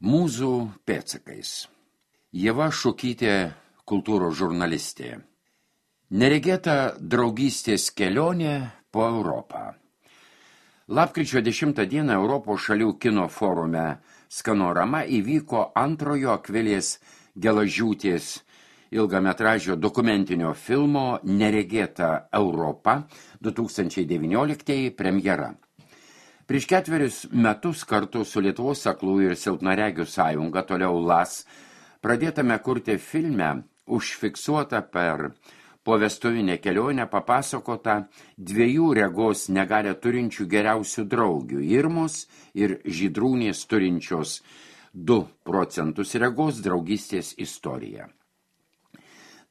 Mūzų pėdsakais. Ieva Šukytė, kultūros žurnalistė. Neregėta draugystės kelionė po Europą. Lapkričio 10 dieną Europos šalių kino forume Skanorama įvyko antrojo Akvilės Gelažiūtės ilgametražio dokumentinio filmo Neregėta Europa 2019 premjera. Prieš 4 metus kartu su Lietuvos aklųjų ir silpnaregių sąjunga, toliau LAS, pradėtame kurti filme užfiksuota per povestuvinę kelionę papasakota 2 regos negalią turinčių geriausių draugių – Irmos ir Žydrūnės turinčios 2% regos draugystės istorija.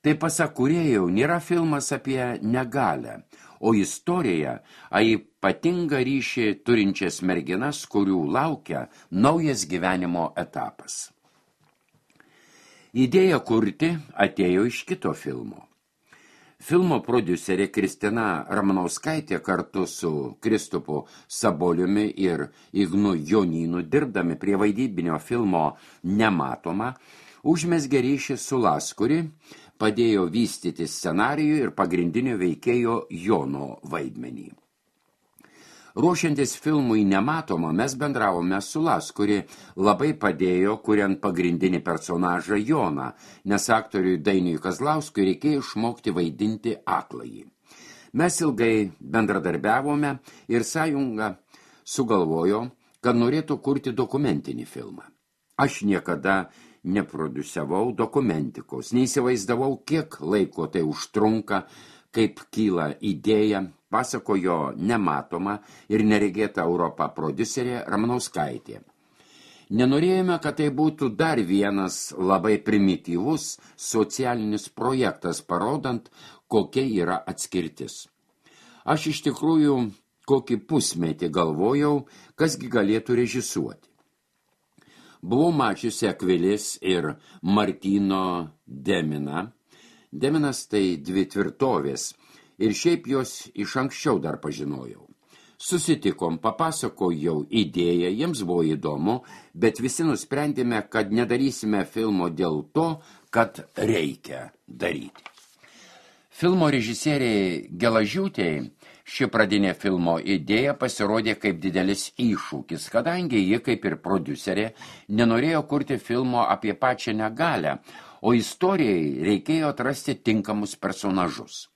Tai pasak kūrėjų nėra filmas apie negalią, o istorija apie ypatingą ryšį turinčias merginas, kurių laukia naujas gyvenimo etapas. Idėja kurti atėjo iš kito filmo. Filmo prodiuserė Kristina Ramanauskaitė kartu su Kristupu Saboliumi ir Ignu Jonynu dirbdami prie vaidybinio filmo Nematoma užmezgė ryšį su LAS, kuri padėjo vystyti scenarijų ir pagrindinio veikėjo Jono vaidmenį. Ruošiantis filmui Nematoma, mes bendravome su LAS, kuri labai padėjo, kuriant pagrindinį personažą Joną, nes aktoriui Dainiui Kazlauskui reikėjo išmokti vaidinti akląjį. Mes ilgai bendradarbiavome ir sąjunga sugalvojo, kad norėtų kurti dokumentinį filmą. Aš niekada neprodusiavau dokumentikos, neįsivaizdavau, kiek laiko tai užtrunka, kaip kyla idėja, pasakojo Nematoma ir Neregėta Europa prodiuserė Ramanauskaitė. Nenorėjome, kad tai būtų dar vienas labai primityvus socialinis projektas, parodant, kokia yra atskirtis. Aš iš tikrųjų kokį pusmetį galvojau, kasgi galėtų režisuoti. Buvau mačiusi Akvilės ir Martyno Deminą. Deminas tai 2 tvirtovės ir šiaip jos iš anksčiau dar pažinojau. Susitikom, papasakojau idėją, jiems buvo įdomu, bet visi nusprendėme, kad nedarysime filmo dėl to, kad reikia daryti. Filmo režisieriai Gelažiūtei ši pradinė filmo idėja pasirodė kaip didelis iššūkis, kadangi ji, kaip ir prodiuserė, nenorėjo kurti filmo apie pačią negalią, o istorijai reikėjo atrasti tinkamus personažus.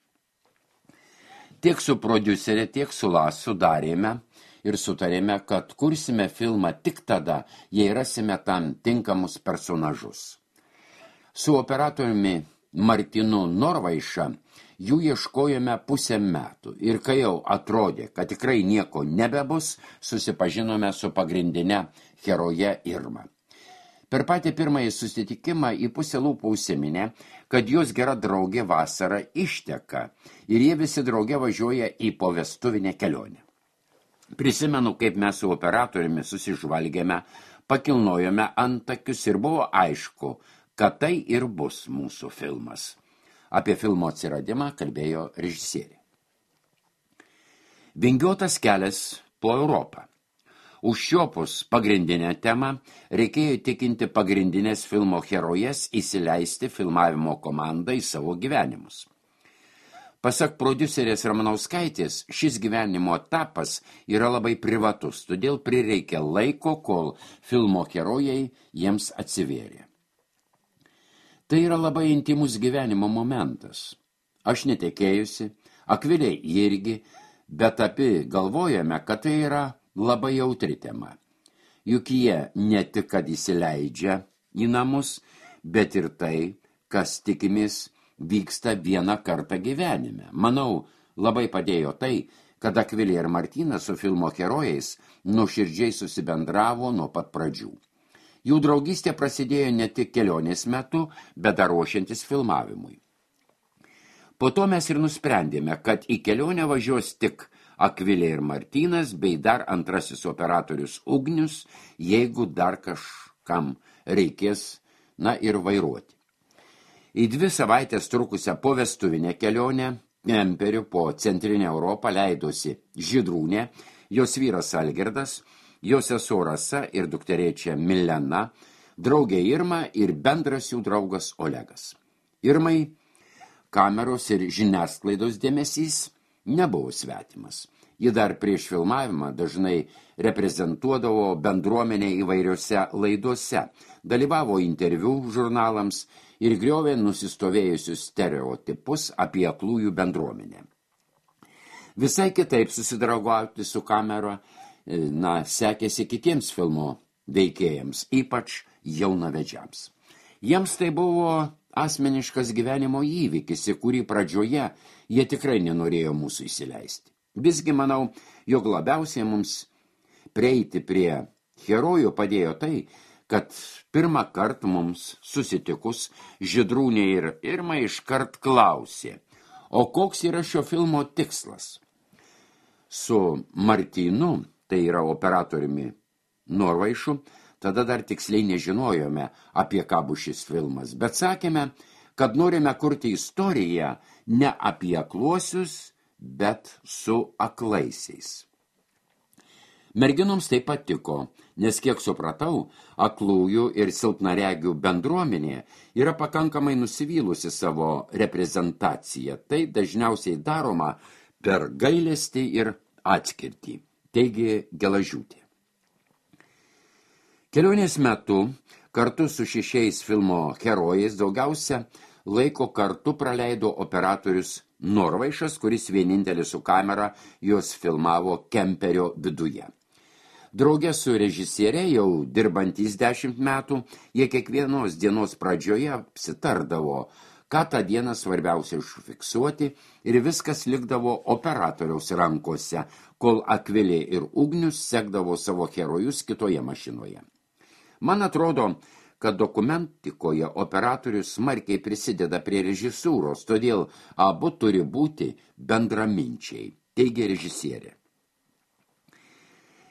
Tiek su prodiuserė, tiek su LAS sudarėme ir sutarėme, kad kursime filmą tik tada, jei rasime tam tinkamus personažus. Su operatoriumi Martynu Norvaiša jų ieškojome 5 metų ir kai jau atrodė, kad tikrai nieko nebebus, susipažinome su pagrindine heroje Irma. Per patį pirmąjį susitikimą į pusę lūpų užsiminė, kad jos gera draugė vasarą išteka ir jie visi drauge važiuoja į povestuvinę kelionę. Prisimenu, kaip mes su operatoriumi susižvalgėme, pakilnojome antakius ir buvo aišku, kad tai ir bus mūsų filmas. Apie filmo atsiradimą kalbėjo režisierė. Vingiuotas kelias po Europą. Užšiopus pagrindinę temą reikėjo įtikinti pagrindinės filmo herojes įsileisti filmavimo komandą į savo gyvenimus. Pasak prodiuserės Ramanauskaitės, šis gyvenimo etapas yra labai privatus, todėl prireikė laiko, kol filmo herojai jiems atsivėrė. Tai yra labai intimus gyvenimo momentas. Aš netekėjusi, Akvilė irgi, bet abi galvojame, kad tai yra labai jautri tema. Juk jie ne tik, kad įsileidžia į namus, bet ir tai, kas tikimės vyksta vieną kartą gyvenime. Manau, labai padėjo tai, kad Akvilė ir Martynas su filmo herojais nuoširdžiai susibendravo nuo pat pradžių. Jų draugystė prasidėjo ne tik kelionės metu, bet dar ruošiantis filmavimui. Po to mes ir nusprendėme, kad į kelionę važiuos tik Akvilė ir Martynas, bei dar antrasis operatorius Ugnius, jeigu dar kažkam reikės, ir vairuoti. Į 2 savaitės trukusią povestuvinę kelionę kemperiu po centrinę Europą leidosi Žydrūnė, jos vyras Algirdas, jo sesuo Rasa ir dukterėčia Milena, draugė Irma ir bendras jų draugas Olegas. Irmai kameros ir žiniasklaidos dėmesys nebuvo svetimas. Ji dar prieš filmavimą dažnai reprezentuodavo bendruomenę įvairiose laidose, dalyvavo interviu žurnalams ir griovė nusistovėjusius stereotipus apie aklųjų bendruomenę. Visai kitaip susidraugauti su kamera, sekėsi kitiems filmo veikėjams, ypač jaunavedžiams. Jiems tai buvo asmeniškas gyvenimo įvykis, į kurį pradžioje jie tikrai nenorėjo mūsų įsileisti. Visgi manau, jog labiausiai mums prieiti prie herojų padėjo tai, kad pirmą kartą mums susitikus Žydrūnė ir Irma iškart klausė, o koks yra šio filmo tikslas? Su Martynu, tai yra operatoriumi Norvaišu, tada dar tiksliai nežinojome, apie ką bus šis filmas, bet sakėme, kad norime kurti istoriją ne apie akluosius, bet su aklaisiais. Merginoms tai patiko, nes kiek supratau, aklųjų ir silpnaregių bendruomenė yra pakankamai nusivylusi savo reprezentaciją. Tai dažniausiai daroma per gailestį ir atskirtį, teigė Gelažiūtė. Kelionės metu kartu su 6 filmo herojais daugiausia laiko kartu praleido operatorius Norvaišas, kuris vienintelis su kamera juos filmavo kemperio viduje. Drauge su režisierė, jau dirbantys 10 metų, jie kiekvienos dienos pradžioje apsitardavo, ką tą dieną svarbiausia užfiksuoti, ir viskas likdavo operatoriaus rankose, kol Akvilė ir Ugnius sekdavo savo herojus kitoje mašinoje. Man atrodo, kad dokumentikoje operatorius smarkiai prisideda prie režisūros, todėl abu turi būti bendraminčiai, teigė režisierė.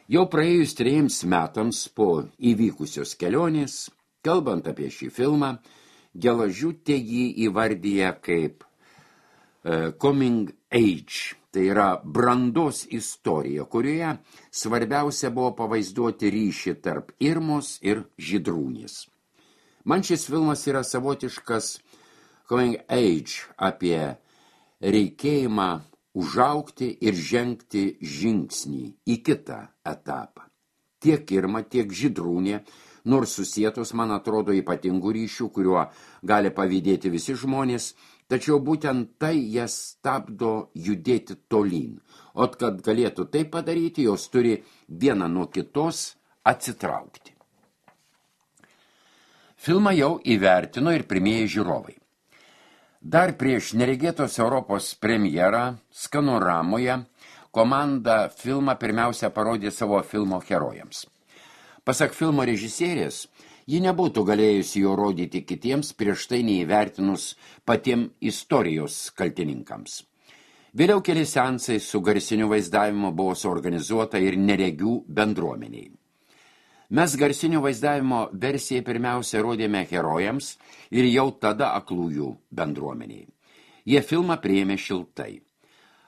Jau praėjus 3 metams po įvykusios kelionės, kalbant apie šį filmą, Gelažiūtė jį įvardyja kaip coming age, tai yra brandos istorija, kurioje svarbiausia buvo pavaizduoti ryšį tarp Irmos ir Žydrūnės. Man šis filmas yra savotiškas coming age apie reikėjimą užaugti ir žengti žingsnį į kitą etapą. Tiek Irma, tiek Žydrūnė, nors susietos, man atrodo, ypatingų ryšių, kuriuo gali pavydėti visi žmonės, tačiau būtent tai jas stabdo judėti tolyn. O kad galėtų tai padaryti, jos turi viena nuo kitos atsitraukti. Filmą jau įvertino ir pirmieji žiūrovai. Dar prieš neregėtos Europos premjerą Skanoramoje komanda filmą pirmiausia parodė savo filmo herojams. Pasak filmo režisierės, ji nebūtų galėjusi jo rodyti kitiems prieš tai neįvertinus patiem istorijos kaltininkams. Vėliau keli seansai su garsiniu vaizdavimu buvo suorganizuota ir neregių bendruomeniai. Mes garsinio vaizdavimo versiją pirmiausia rodėme herojams ir jau tada aklųjų bendruomeniai. Jie filmą priėmė šiltai.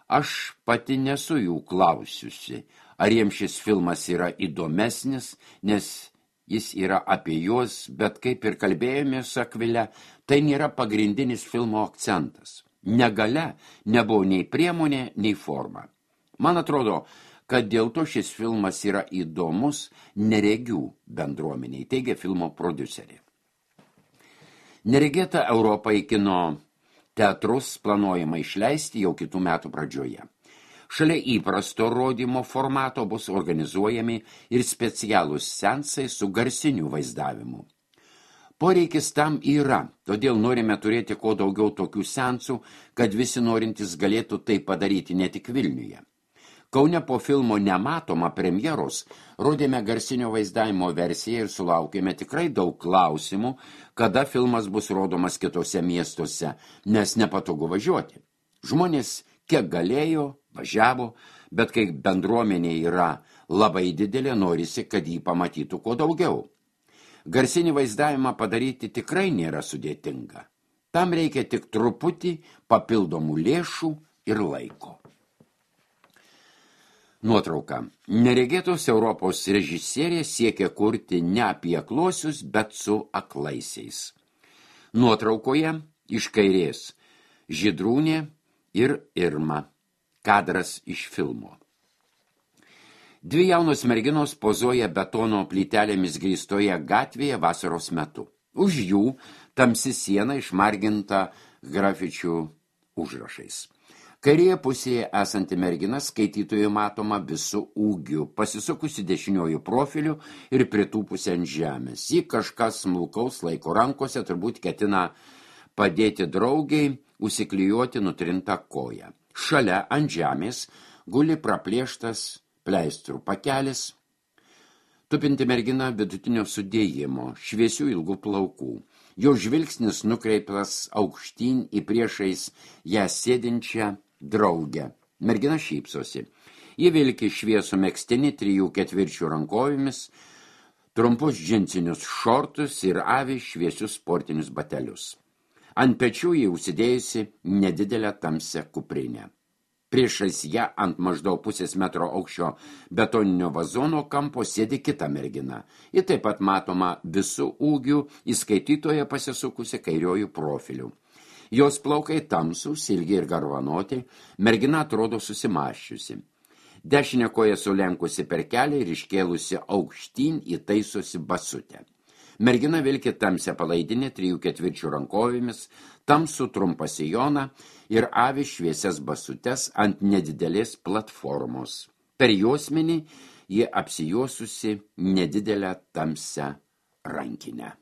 Aš pati nesu jų klausiusi, ar jiems šis filmas yra įdomesnis, nes jis yra apie juos, bet kaip ir kalbėjome su Akvile, tai nėra pagrindinis filmo akcentas. Negalia nebuvo nei priemonė, nei forma. Man atrodo, kad dėl to šis filmas yra įdomus neregių bendruomeniai, teigia filmo prodiuserė. Neregėta Europą į kino teatrus planuojama išleisti jau kitų metų pradžioje. Šalia įprasto rodymo formato bus organizuojami ir specialūs seansai su garsiniu vaizdavimu. Poreikis tam yra, todėl norime turėti kuo daugiau tokių seansų, kad visi norintys galėtų tai padaryti ne tik Vilniuje. Kaune po filmo Nematoma premjeros rodėme garsinio vaizdavimo versiją ir sulaukėme tikrai daug klausimų, kada filmas bus rodomas kitose miestuose, nes nepatogu važiuoti. Žmonės kiek galėjo, važiavo, bet kai bendruomenė yra labai didelė, norisi, kad jį pamatytų kuo daugiau. Garsinį vaizdavimą padaryti tikrai nėra sudėtinga. Tam reikia tik truputį papildomų lėšų ir laiko. Nuotrauka. Neregėtos Europos režisierė siekia kurti ne apie akluosius, bet su aklaisiais. Nuotraukoje iš kairės Žydrūnė ir Irma. Kadras iš filmo. Dvi jaunos merginos pozuoja betono plytelėmis grįstoje gatvėje vasaros metu. Už jų tamsi siena išmarginta grafičių užrašais. Kairėje pusėje esanti mergina skaitytojui matoma visų ūgių, pasisukusi dešiniojų profiliu ir pritūpusi ant žemės. Ji kažkas smulkaus laiko rankose, turbūt ketina padėti draugiai užsiklijuoti nutrintą koją. Šalia ant žemės guli praplėštas pleistrų pakelis, tupinti mergina vidutinio sudėjimo, šviesių ilgų plaukų. Jo žvilgsnis nukreiptas aukštyn į priešais ją sėdinčią draugę. Mergina šypsosi. Ji vilki šviesų megztinį 3/4 rankovėmis, trumpus džinsinius šortus ir avi šviesius sportinius batelius. Ant pečių ji užsidėjusi nedidelę tamsią kuprinę. Priešais ją ant maždaug pusės metro aukščio betoninio vazono kampo sėdi kita mergina. Ji taip pat matoma visų ūgių, įskaitytoje pasisukusi kairiojų profilių. Jos plaukai tamsūs, ilgi ir garvanoti, mergina atrodo susimaščiusi. Dešinę koją sulenkusi per kelią ir iškėlusi aukštyn įtaisosi basutę. Mergina vilki tamsią palaidinę 3/4 rankovėmis, tamsų trumpą sijoną ir avi šviesias basutes ant nedidelės platformos. Per juosmenį ji apsijuosusi nedidelę tamsią rankinę.